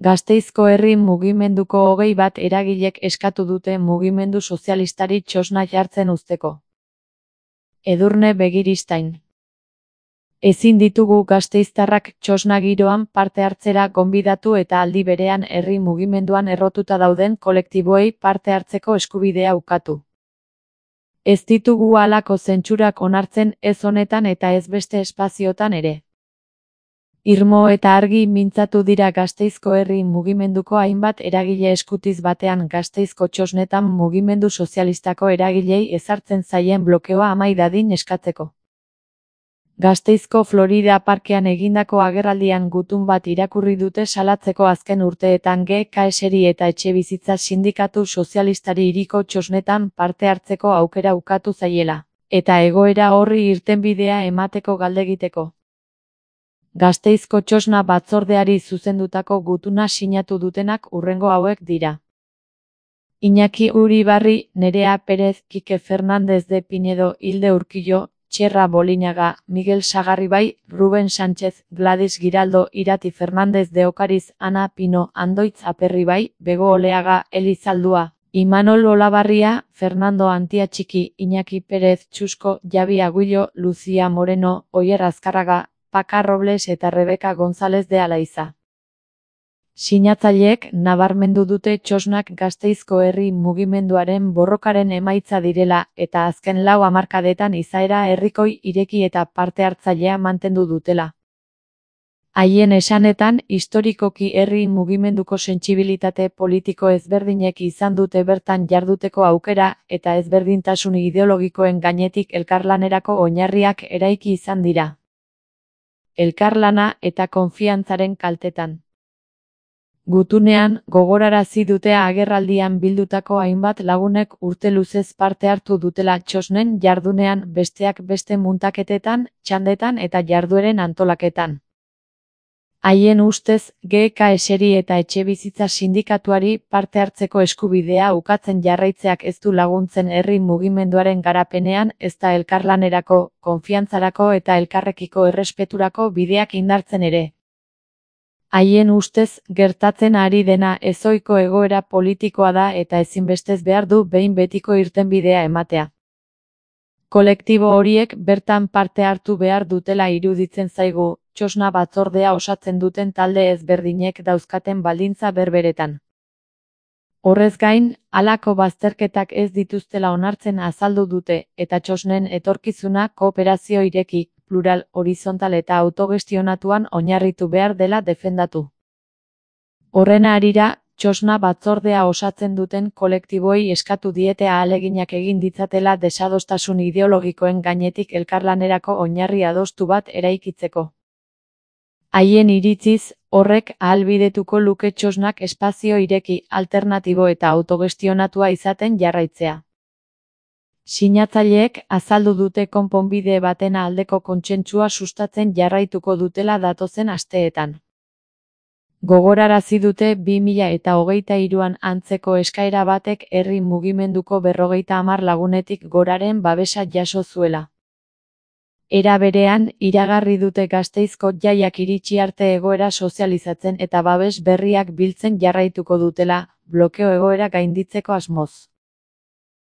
Gasteizko herri mugimenduko 21 eragilek eskatu dute mugimendu sozialistari txosna jartzen uzteko. Edurne Begiristain. Ezin ditugu gasteiztarrak txosna giroan parte hartzera gonbidatu eta aldi berean herri mugimenduan errotuta dauden kolektiboei parte hartzeko eskubidea ukatu. Ez ditugu halako zentsurak onartzen ez honetan eta ez beste espaziotan ere. Irmo eta argi mintzatu dira Gasteizko herri mugimenduko hainbat eragile eskutiz batean Gasteizko txosnetan mugimendu sozialistako eragilei ezartzen zaien blokeoa amai dadin eskatzeko. Gasteizko Florida Parkean egindako agerraldian gutun bat irakurri dute salatzeko azken urteetan GKSri eta Etxebizitza Sindikatu Sozialistari hiriko txosnetan parte hartzeko aukera ukatu zaiela, eta egoera horri irtenbidea emateko galdegiteko. Gasteizko txosna batzordeari zuzendutako gutuna sinatu dutenak hurrengo hauek dira. Iñaki Uribarri, Nerea Perez, Kike Fernández de Pinedo, Hilde Urquillo, Txerra Bolinaga, Miguel Sagarribai, Ruben Sánchez, Gladys Giraldo, Irati Fernández de Ocariz, Ana Pino, Andoitz Aperribai, Bego Oleaga, Elizaldua, Imanol Olabarria, Fernando Antiatxiki, Iñaki Pérez, Txusko, Javi Aguillo, Lucía Moreno, Oier Azkarraga, Paca Robles eta Rebeka González de Alaiza. Sinatzaileek nabarmendu dute txosnak Gasteizko herri mugimenduaren borrokaren emaitza direla eta azken 4 hamarkadetan izaera herrikoi, ireki eta parte hartzailea mantendu dutela. Haien esanetan, historikoki herri mugimenduko sentsibilitate politiko ezberdinek izan dute bertan jarduteko aukera eta ezberdintasun ideologikoen gainetik elkarlanerako oinarriak eraiki izan dira. Elkarlana eta konfiantzaren kaltetan. Gutunean, gogorarazi dute agerraldian bildutako hainbat lagunek urte luzez parte hartu dutela txosnen jardunean besteak beste muntaketetan, txandetan eta jardueren antolaketan. Haien ustez, GKSri eta Etxebizitza Sindikatuari parte hartzeko eskubidea ukatzen jarraitzeak ez du laguntzen herri mugimenduaren garapenean ezta elkarlanerako, konfiantzarako eta elkarrekiko errespeturako bideak indartzen ere. Haien ustez, gertatzen ari dena ezohiko egoera politikoa da eta ezinbestez behar du behin betiko irtenbidea ematea. Kolektibo horiek bertan parte hartu behar dutela iruditzen zaigu, txosna batzordea osatzen duten talde ezberdinek dauzkaten baldintza berberetan. Horrez gain, halako bazterketak ez dituztela onartzen azaldu dute, eta txosnen etorkizuna kooperazio ireki, plural, horizontal eta autogestionatuan oinarritu behar dela defendatu. Horren harira, txosna batzordea osatzen duten kolektiboei eskatu diete ahaleginak egin ditzatela desadostasun ideologikoen gainetik elkarlanerako oinarri adostu bat eraikitzeko. Haien iritziz, horrek ahalbidetuko luke txosnak espazio ireki, alternatibo eta autogestionatua izaten jarraitzea. Sinatzaileek azaldu dute konponbide baten aldeko kontsentsua sustatzen jarraituko dutela datozen asteetan. Gogorarazi dute 2023an antzeko eskaera batek herri mugimenduko 50 lagunetik goraren babesa jaso zuela. Era berean, iragarri dute Gasteizko jaiak iritsi arte egoera sozializatzen eta babes berriak biltzen jarraituko dutela, blokeo egoera gainditzeko asmoz.